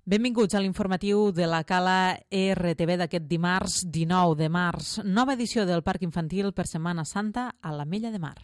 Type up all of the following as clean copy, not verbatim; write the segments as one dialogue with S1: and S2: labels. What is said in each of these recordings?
S1: Benvinguts a l'informatiu de la Cala RTV d'aquest dimarts 19 de març. Nova edició del Parc Infantil per Setmana Santa a l'Ametlla de Mar.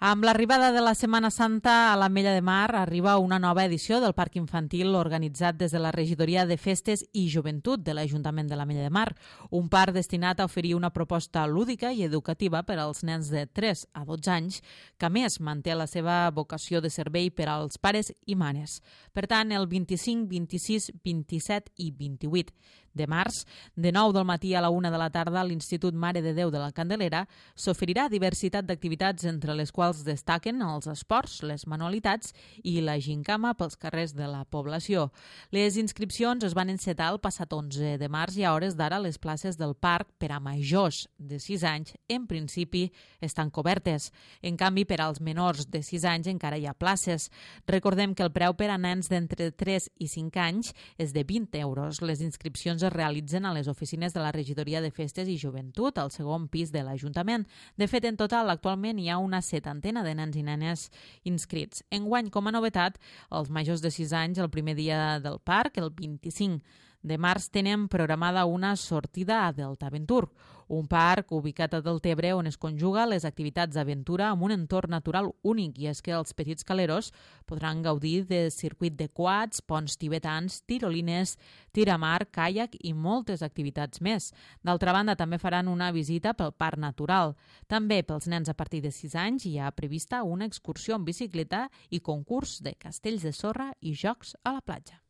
S1: Amb l'arribada de la Setmana Santa a l'Ametlla de Mar arriba una nova edició del Parc Infantil organitzat des de la Regidoria de Festes i Joventut de l'Ajuntament de l'Ametlla de Mar, un parc destinat a oferir una proposta lúdica i educativa per als nens de 3 a 12 anys, que a més manté la seva vocació de servei per als pares i mares. Per tant, el 25, 26, 27 i 28 de març, de 9 del matí a la 1 de la tarda, a l'Institut Mare de Déu de la Candelera s'oferirà diversitat d'activitats, entre les quals destaquen els esports, les manualitats i la gincama pels carrers de la població. Les inscripcions es van encetar el passat 11 de març i a hores d'ara les places del parc per a majors de 6 anys en principi estan cobertes. En canvi, per als menors de 6 anys encara hi ha places. Recordem que el preu per a nens d'entre 3 i 5 anys és de 20 euros. Les inscripcions es realitzen a les oficines de la Regidoria de Festes i Joventut al segon pis de l'Ajuntament. De fet, en total, actualment hi ha una 70 de nens i nenes inscrits. Enguany, com a novetat, els majors de 6 anys, el primer dia del parc, el 25 de març, tenen programada una sortida a Deltaventur, un parc ubicat a Deltebre on es conjuga les activitats d'aventura amb un entorn natural únic, i és que els petits caleros podran gaudir de circuit de quads, ponts tibetans, tirolines, tir a mar, caiac i moltes activitats més. D'altra banda, també faran una visita pel parc natural. També pels nens a partir de 6 anys hi ha prevista una excursió en bicicleta i concurs de castells de sorra i jocs a la platja.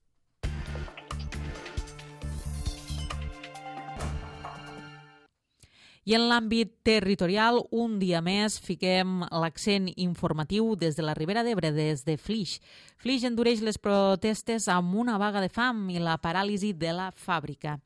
S1: I en l'àmbit territorial, un dia més, fiquem l'accent informatiu des de la Ribera d'Ebre, des de Flix. Flix endureix les protestes amb una vaga de fam i la paràlisi de la fàbrica.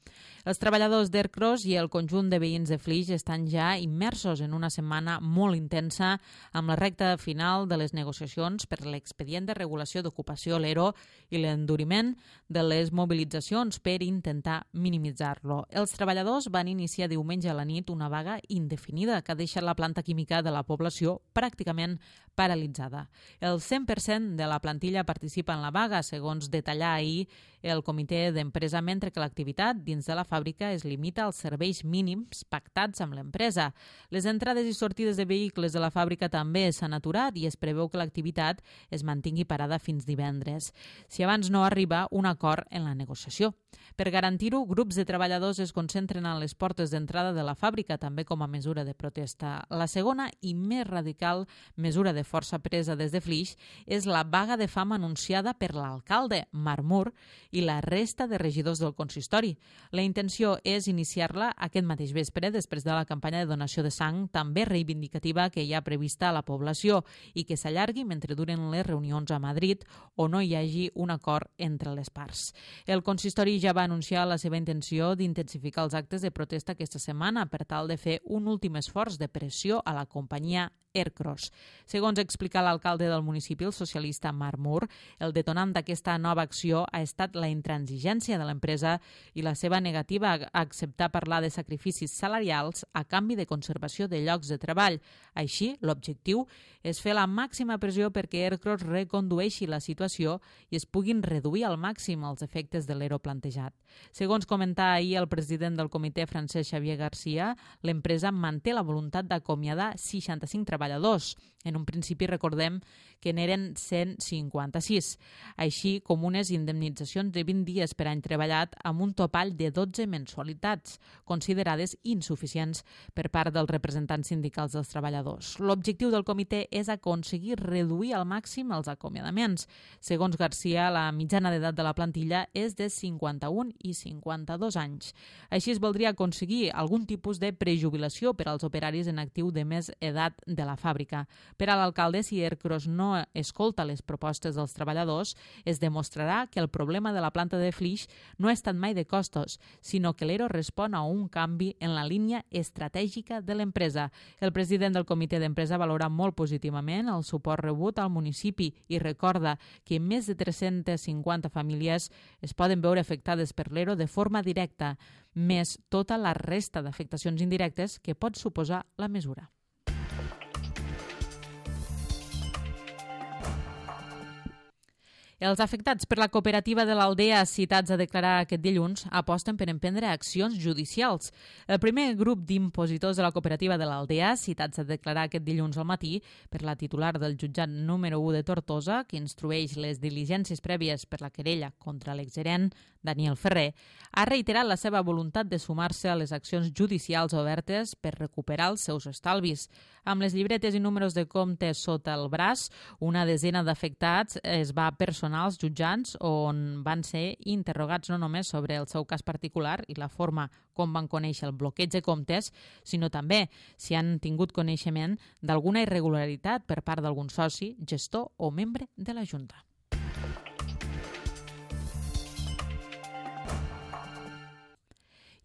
S1: Els treballadors d'Ercros i el conjunt de veïns de Flix estan ja immersos en una setmana molt intensa amb la recta final de les negociacions per l'expedient de regulació d'ocupació, l'ERO, i l'enduriment de les mobilitzacions per intentar minimitzar-lo. Els treballadors van iniciar diumenge a la nit una vaga indefinida que ha deixat la planta química de la població pràcticament paralitzada. El 100% de la plantilla participa en la vaga, segons detallà ahir el comitè d'empresa, mentre que l'activitat dins de la fàbrica es limita als serveis mínims pactats amb l'empresa. Les entrades i sortides de vehicles de la fàbrica també s'han aturat i es preveu que l'activitat es mantingui parada fins divendres, si abans no arriba un acord en la negociació. Per garantir-ho, grups de treballadors es concentren a les portes d'entrada de la fàbrica, també com a mesura de protesta. La segona i més radical mesura de força presa des de Flix és la vaga de fam anunciada per l'alcalde Marmur i la resta de regidors del consistori. La intenció és iniciar-la aquest mateix vespre després de la campanya de donació de sang també reivindicativa que hi ha prevista a la població i que s'allargui mentre duren les reunions a Madrid o no hi hagi un acord entre les parts. El consistori ja va anunciar la seva intenció d'intensificar els actes de protesta aquesta setmana per tal de fer un últim esforç de pressió a la companyia Ercros. Segons explica l'alcalde del municipi, el socialista Marmur, el detonant d'aquesta nova acció ha estat la intransigència de l'empresa i la seva negativa a acceptar parlar de sacrificis salarials a canvi de conservació de llocs de treball. Així, l'objectiu és fer la màxima pressió perquè Ercros recondueixi la situació i es puguin reduir al màxim els efectes de l'ERO plantejat. Segons comentà ahir el president del comitè, Francesc Xavier Garcia, l'empresa manté la voluntat d'acomiadar 65 treballadors. En un principi recordem que n'eren 156, així com unes indemnitzacions de 20 dies per any treballat amb un topall de 12 mensualitats, considerades insuficients per part dels representants sindicals dels treballadors. L'objectiu del comitè és aconseguir reduir al màxim els acomiadaments. Segons Garcia, la mitjana d'edat de la plantilla és de 51 i 52 anys. Així es voldria aconseguir algun tipus de prejubilació per als operaris en actiu de més edat de la fàbrica. Per a l'alcalde, si Ercros no escolta les propostes dels treballadors, es demostrarà que el problema de la planta de Flix no ha estat mai de costos, sinó que l'ERO respon a un canvi en la línia estratègica de l'empresa. El president del comitè d'empresa valora molt positivament el suport rebut al municipi i recorda que més de 350 famílies es poden veure afectades per l'ERO de forma directa, més tota la resta d'afectacions indirectes que pot suposar la mesura. Els afectats per la cooperativa de l'Aldea citats a declarar aquest dilluns aposten per emprendre accions judicials. El primer grup d'impositors de la cooperativa de l'Aldea citats a declarar aquest dilluns al matí per la titular del jutjat número 1 de Tortosa, que instrueix les diligències prèvies per la querella contra l'exgerent Daniel Ferrer, ha reiterat la seva voluntat de sumar-se a les accions judicials obertes per recuperar els seus estalvis. Amb les llibretes i números de compte sota el braç, una desena d'afectats es va personar als jutjats on van ser interrogats no només sobre el seu cas particular i la forma com van conèixer el bloqueig de comptes, sinó també si han tingut coneixement d'alguna irregularitat per part d'algun soci, gestor o membre de la Junta.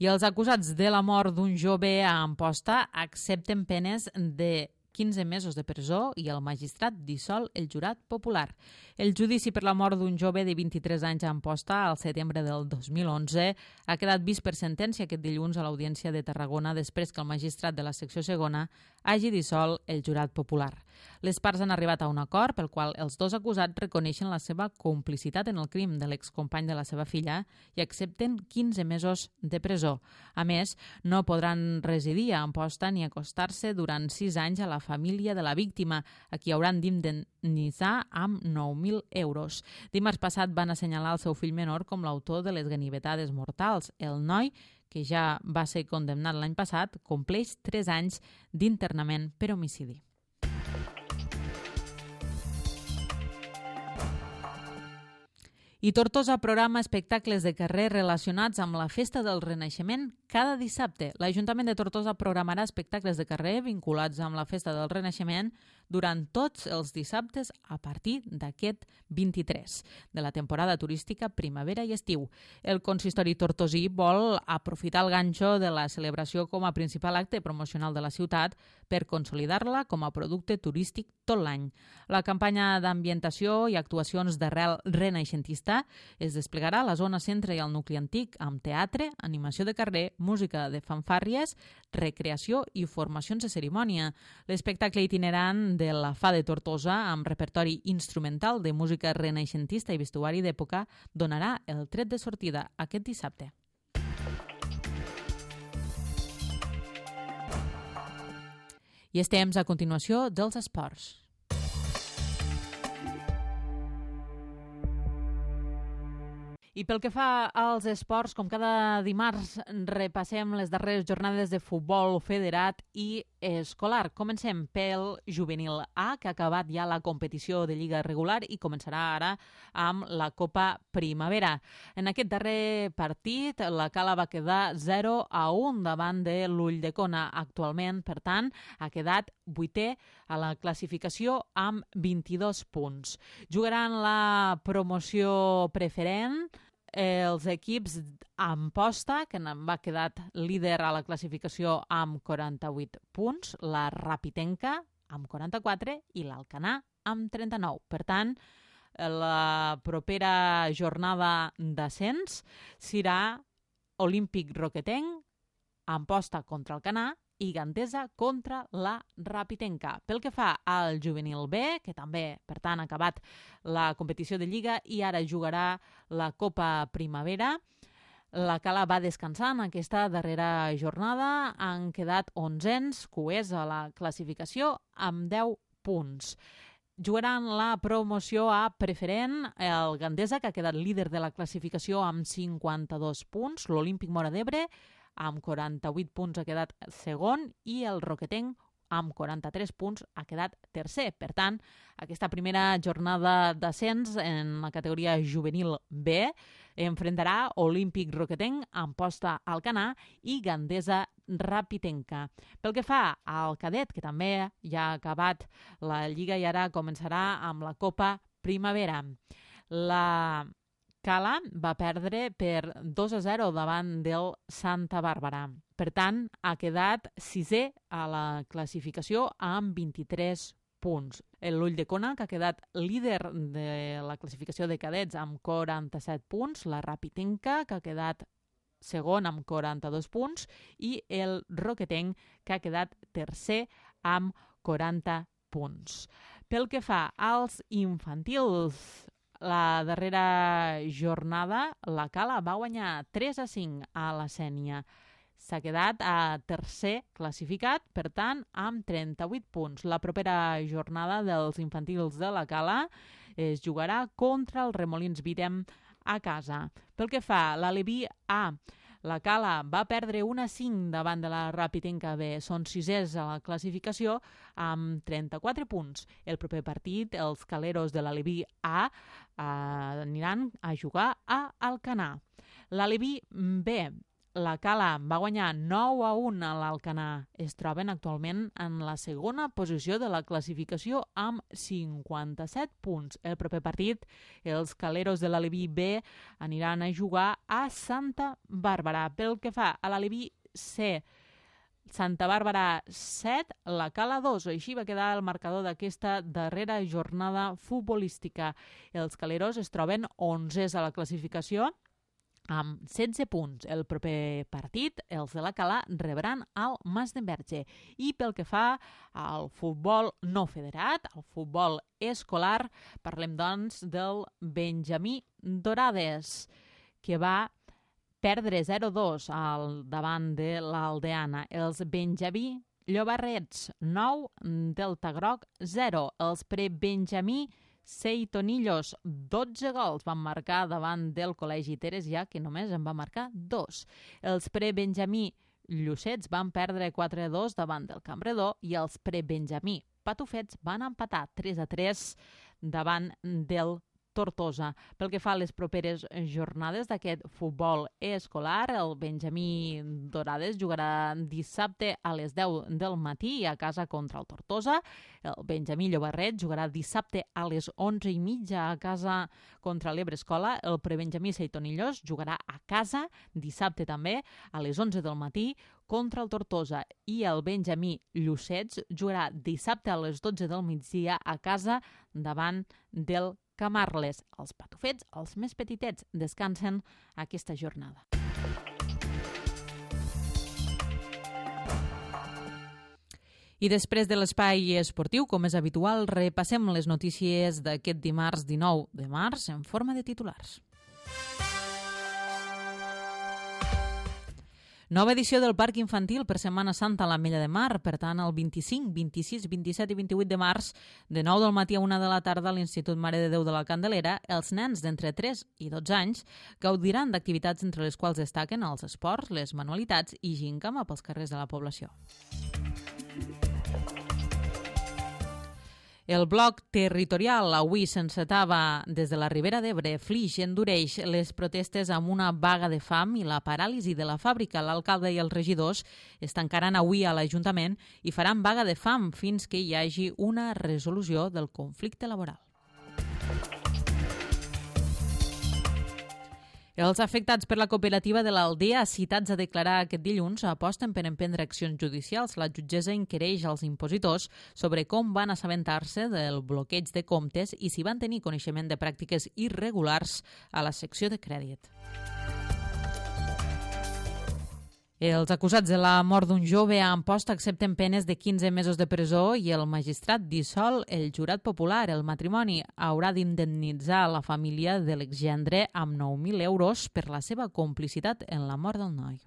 S1: I els acusats de la mort d'un jove a Amposta accepten penes de 15 mesos de presó i el magistrat dissol el jurat popular. El judici per la mort d'un jove de 23 anys a Amposta al setembre del 2011 ha quedat vist per sentència aquest dilluns a l'Audiència de Tarragona després que el magistrat de la secció segona hagi dissolt el jurat popular. Les parts han arribat a un acord pel qual els dos acusats reconeixen la seva complicitat en el crim de l'excompany de la seva filla i accepten 15 mesos de presó. A més, no podran residir a Amposta ni acostar-se durant 6 anys a la família de la víctima, a qui hauran d'indemnitzar amb 9.000 euros. Dimarts passat van assenyalar el seu fill menor com l'autor de les ganivetades mortals. El noi, que ja va ser condemnat l'any passat, compleix 3 anys d'internament per homicidi. I Tortosa programa espectacles de carrer relacionats amb la Festa del Renaixement cada dissabte. L'Ajuntament de Tortosa programarà espectacles de carrer vinculats amb la Festa del Renaixement durant tots els dissabtes a partir d'aquest 23 de la temporada turística primavera i estiu. El consistori tortosí vol aprofitar el ganxo de la celebració com a principal acte promocional de la ciutat per consolidar-la com a producte turístic tot l'any. La campanya d'ambientació i actuacions d'arrel renaixentista es desplegarà a la zona centre i al nucli antic amb teatre, animació de carrer, música de fanfàrries, recreació i formacions de cerimònia. L'espectacle itinerant de la Fa de Tortosa, amb repertori instrumental de música renaixentista i vestuari d'època, donarà el tret de sortida aquest dissabte. I és temps, a continuació, dels esports. I pel que fa als esports, com cada dimarts repassem les darreres jornades de futbol federat i escolar. Comencem pel juvenil A, que ha acabat ja la competició de lliga regular i començarà ara amb la Copa Primavera. En aquest darrer partit, la Cala va quedar 0-1 davant de l'Ulldecona. Actualment, per tant, ha quedat 8è a la classificació amb 22 punts. Jugaran la promoció preferent els equips Amposta, que va quedar líder a la classificació amb 48 punts, la Rapitenca amb 44 i l'Alcanar amb 39. Per tant, la propera jornada d'ascens serà Olímpic Roquetenc, Amposta contra Alcanar i Gandesa contra la Rapitenca. Pel que fa al juvenil B, que també, per tant, ha acabat la competició de Lliga i ara jugarà la Copa Primavera, la Cala va descansar en aquesta darrera jornada. Han quedat 11ens, coers a la classificació, amb 10 punts. Jugaran la promoció a preferent el Gandesa, que ha quedat líder de la classificació amb 52 punts, l'Olímpic Móra d'Ebre amb 48 punts ha quedat segon i el Roquetenc amb 43 punts ha quedat tercer. Per tant, aquesta primera jornada d'ascens en la categoria juvenil B enfrontarà Olímpic Roquetenc, Amposta Alcanar i Gandesa Rapitenca. Pel que fa al cadet, que també ja ha acabat la Lliga i ara començarà amb la Copa Primavera. La Cala va perdre per 2-0 davant del Santa Bàrbara. Per tant, ha quedat 6è a la classificació amb 23 punts. L'Ulldecona, que ha quedat líder de la classificació de cadets amb 47 punts, la Rapitenca, que ha quedat segon amb 42 punts, i el Roquetenc, que ha quedat tercer amb 40 punts. Pel que fa als infantils, la darrera jornada, la Cala va guanyar 3-5 a la Sénia. S'ha quedat a tercer classificat, per tant, amb 38 punts. La propera jornada dels infantils de la Cala es jugarà contra el Remolins Videm a casa. Pel que fa a l'Aleví A, la Cala va perdre 1-5 davant de la Ràpitenca B. Són sisers a la classificació amb 34 punts. El proper partit, els caleros de l'Aleví A aniran a jugar a Alcanar. L'Aleví B, la Cala va guanyar 9-1 a l'Alcanar. Es troben actualment en la segona posició de la classificació amb 57 punts. El proper partit, els caleros de l'Aleví B aniran a jugar a Santa Bàrbara. Pel que fa a l'Aleví C, Santa Bàrbara 7, la Cala 2. Així va quedar el marcador d'aquesta darrera jornada futbolística. Els caleros es troben 11s a la classificació amb 16 punts. El proper partit, els de la Cala rebran el Masdenverge. I pel que fa al futbol no federat, al futbol escolar, parlem doncs del Benjamí Dorades, que va perdre 0-2 davant de l'Aldeana. Els Benjamí Llobarrets 9, Delta Groc 0. Els pre-Benjamí Seitonillos, 12 gols van marcar davant del Col·legi Teresià, que només en va marcar 2. Els pre-Benjamí Llucets van perdre 4-2 davant del Campredó i els pre-Benjamí Patufets van empatar 3-3 davant del Tortosa. Pel que fa a les properes jornades d'aquest futbol escolar, el Benjamí Dorades jugarà dissabte a les 10 del matí a casa contra el Tortosa. El Benjamí Llobarret jugarà dissabte a les 11:30 a casa contra l'Ebrescola. El prebenjamí Seitonillos jugarà a casa dissabte també a les 11 del matí contra el Tortosa. I el Benjamí Llucets jugarà dissabte a les 12 del migdia a casa davant del Camarles. Els patufets, els més petitets, descansen aquesta jornada. I després de l'espai esportiu, com és habitual, repassem les notícies d'aquest dimarts 19 de març en forma de titulars. Nova edició del Parc Infantil per Setmana Santa a l'Ametlla de Mar. Per tant, el 25, 26, 27 i 28 de març, de 9 del matí a 1 de la tarda a l'Institut Mare de Déu de la Candelera, els nens d'entre 3 i 12 anys gaudiran d'activitats entre les quals destaquen els esports, les manualitats i gincama pels carrers de la població. El bloc territorial avui s'encetava des de la Ribera d'Ebre. Flix endureix les protestes amb una vaga de fam i la paràlisi de la fàbrica. L'alcalde i els regidors es tancaran avui a l'Ajuntament i faran vaga de fam fins que hi hagi una resolució del conflicte laboral. Els afectats per la cooperativa de l'Aldea, citats a declarar aquest dilluns, aposten per emprendre accions judicials. La jutgessa inquireix als impositors sobre com van assabentar-se del bloqueig de comptes i si van tenir coneixement de pràctiques irregulars a la secció de crèdit. Els acusats de la mort d'un jove a Amposta accepten penes de 15 mesos de presó i el magistrat dissol el jurat popular. El matrimoni haurà d'indemnitzar la família de l'exgendre amb 9.000 euros per la seva complicitat en la mort del noi.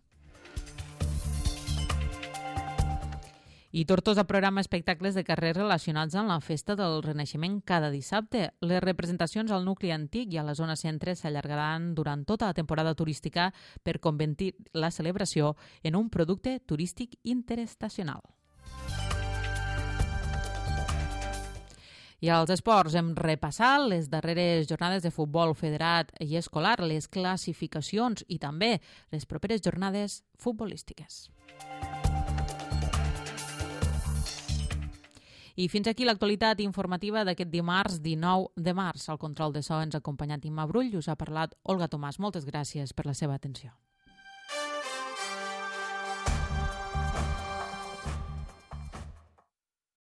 S1: I Tortosa programa espectacles de carrer relacionats amb la festa del Renaixement cada dissabte. Les representacions al nucli antic i a la zona centre s'allargaran durant tota la temporada turística per convertir la celebració en un producte turístic interestacional. I als esports hem repassat les darreres jornades de futbol federat i escolar, les classificacions i també les properes jornades futbolístiques. I fins aquí l'actualitat informativa d'aquest dimarts 19 de març. Al control de so ens ha acompanyat Imma Brull i us ha parlat Olga Tomàs. Moltes gràcies per la seva atenció.